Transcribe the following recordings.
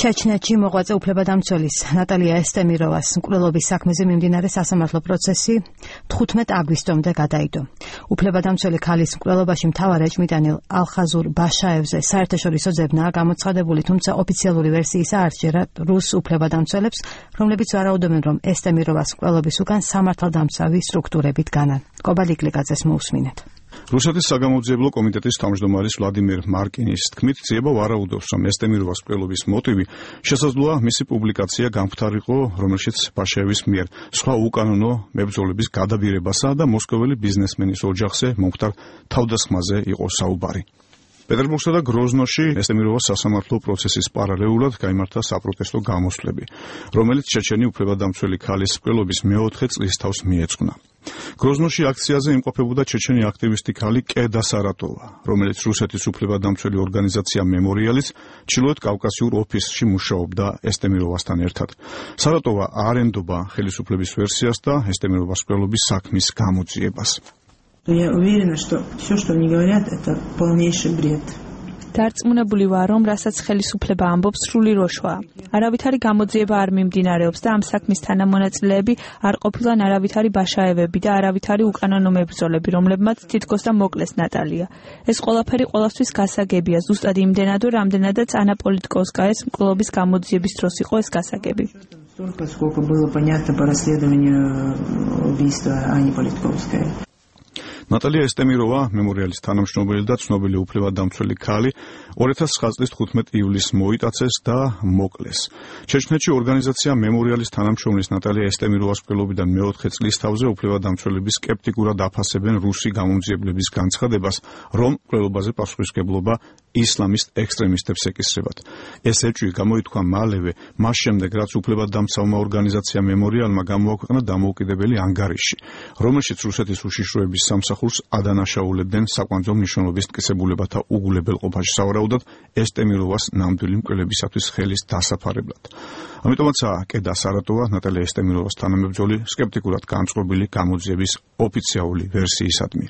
ჩეჩნეთში მოღვაწე უფლებადამცველის ნატალია ესტემიროვას მკვლელობის საქმეზე მიმდინარე სასამართლო პროცესი 15 აგვისტომდე გადაიდო. უფლებადამცველი ქალის მკვლელობაში მთავარ ეჭვმიტანილ ალხაზურ ბაშაევზე საერთაშორისო ძებნაა გამოცხადებული, თუმცა ოფიციალური ვერსიისა არ სჯერა რუს უფლებადამცველებს, რომლებიც ვარაუდობენ, რომ ესტემიროვას მკვლელობის უკან სამართალდამცავი სტრუქტურებით განან. კობალიკლიკაძეს მოусმინეთ. რუსეთის საგამოძიებლო კომიტეტის თავმჯდომარის ვლადიმერ მარკინის თქმით, ძიება ვარაუდობს, რომ ესტემიროვას მკვლელობის მოტივი შესაძლოა მისი პუბლიკაცია გამხდარიყო, რომელშიც ბაშაევის მიერ სხვა უკანონო მებრძოლების გადაბირებასა და მოსკოველი ბიზნესმენის ოჯახზე მომხდარ თავდასხმაზე იყო საუბარი. პეტერბურგსა და გროზნოში ესტემიროვას სასამართლო პროცესის პარალელურად გაიმართა საპროტესტო გამოსვლები, რომელიც ჩეჩენი უფლებადამცველი ქალის მკვლელობის მეოთხე წლის თავს მიეძღვნა. გროზნოში აქციაზე იმყოფებოდა ჩეჩენი აქტივისტი ქალი კედა სარატოვა, რომელიც რუსეთის უფლებადამცველი ორგანიზაცია მემორიალის ჩრდილოეთ კავკასიურ ოფისში მუშაობდა ესტემიროვასთან ერთად. სარატოვა არ ენდობა ხელისუფლების ვერსიას და ესტემიროვას მკვლელობის საქმის გამოძიებას. Я уверена, что все, что мне говорят, это полнейший бред. Დარწმუნებული ვარ, რომ რასაც ხელისუფლება ამბობს, სრული როშვაა. არავითარი გამოძიება არ მიმდინარეობს და ამ საქმის თანამონაწილეები არ ყოფილან არავითარი ბაშაევები და არავითარი უკანონო მებრძოლები, რომლებმაც თითქოს და მოკლეს ნატალია. ეს ყველაფერი ყველასთვის გასაგებია, ზუსტად იმდენად, რამდენადაც ანა პოლიტკოვსკაის მკვლელობის გამოძიების დროს იყო ეს გასაგები. Сколько было понятно по расследованию убийства Ани Политковской. ნატალია ესტემიროვა, მემორიალის თანამშრომელი და ცნობილი უფლებადამცველი ქალი, 2009 წლის 15 ივლისს მოიტაცეს და მოკლეს. ჩეჩნეთში ორგანიზაცია მემორიალის თანამშრომლის ნატალია ესტემიროვას მკვლელობიდან მეოთხე წლის თავზე უფლებადამცველები სკეპტიკურად აფასებენ რუსი გამომძიებლების განცხადებას, რომ მკვლელობაზე პასუხისმგებლობა ისლამისტ ექსტრემისტებს ეკისრებათ. ეს ეჭვი გამოითქვა მალევე, მას შემდეგ, რაც უფლებადამცავმა ორგანიზაცია მემორიალმა გამოაქვეყნა დამოუკიდებელი ანგარიში, რომელშიც რუსეთის უშიშროების სამსახურს ადანაშაულებდნენ საკვანძო მნიშვნელობის მტკიცებულებათა უგულებელყოფაში, სავარაუდოდ ესტემიროვას ნამდვილი მკვლელებისათვის ხელის დასაფარებლად. ამიტომაცაა კედა სარატოვა ნატალია ესტემიროვას თანამებრძოლი სკეპტიკურად განწყობილი გამოძიების ოფიციალური ვერსიისადმი.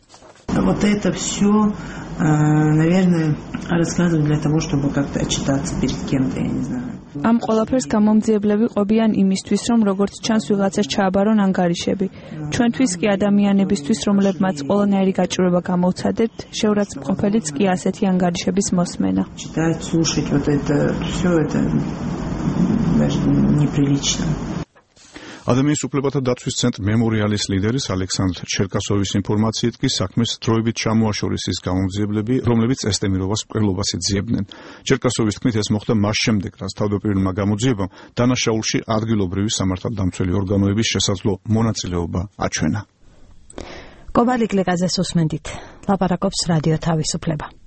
Вот это все, наверное, рассказывают для того, чтобы как-то отчитаться перед кем-то, я не знаю. Ამ ყველაფერს გამომძიებლები ყოფიან იმისთვის, რომ როგორც ჩანს ვიღაცას ჩააბარონ ანგარიშები. ჩვენთვის კი ადამიანებისთვის, რომლებმაც ყველანაირი გაჭირვება გამოვცადებთ, შეურაცხმყოფელიც კი ასეთი ანგარიშების მოსმენა. Читать, слушать, вот это все это даже неприлично. ადამიანის უფლებათა დაცვის ცენტრ მემორიალის ლიდერის ალექსანდრ ჩერკასოვის ინფორმაციით კი საქმეს დროებით ჩამოაშორეს ის გამომძიებლები, რომლებიც ესტემიროვას მკვლელობას ეძიებდნენ. ჩერკასოვის თქმით, ეს მოხდა მას შემდეგ, რაც თავდაპირველმა გამოძიებამ დანაშაულში ადგილობრივი სამართალდამცველი ორგანოების შესაძლო მონაწილეობა აჩვენა. კობალიკლიკაძეს უსმენდით. ლაპარაკობს რადიო თავისუფლება.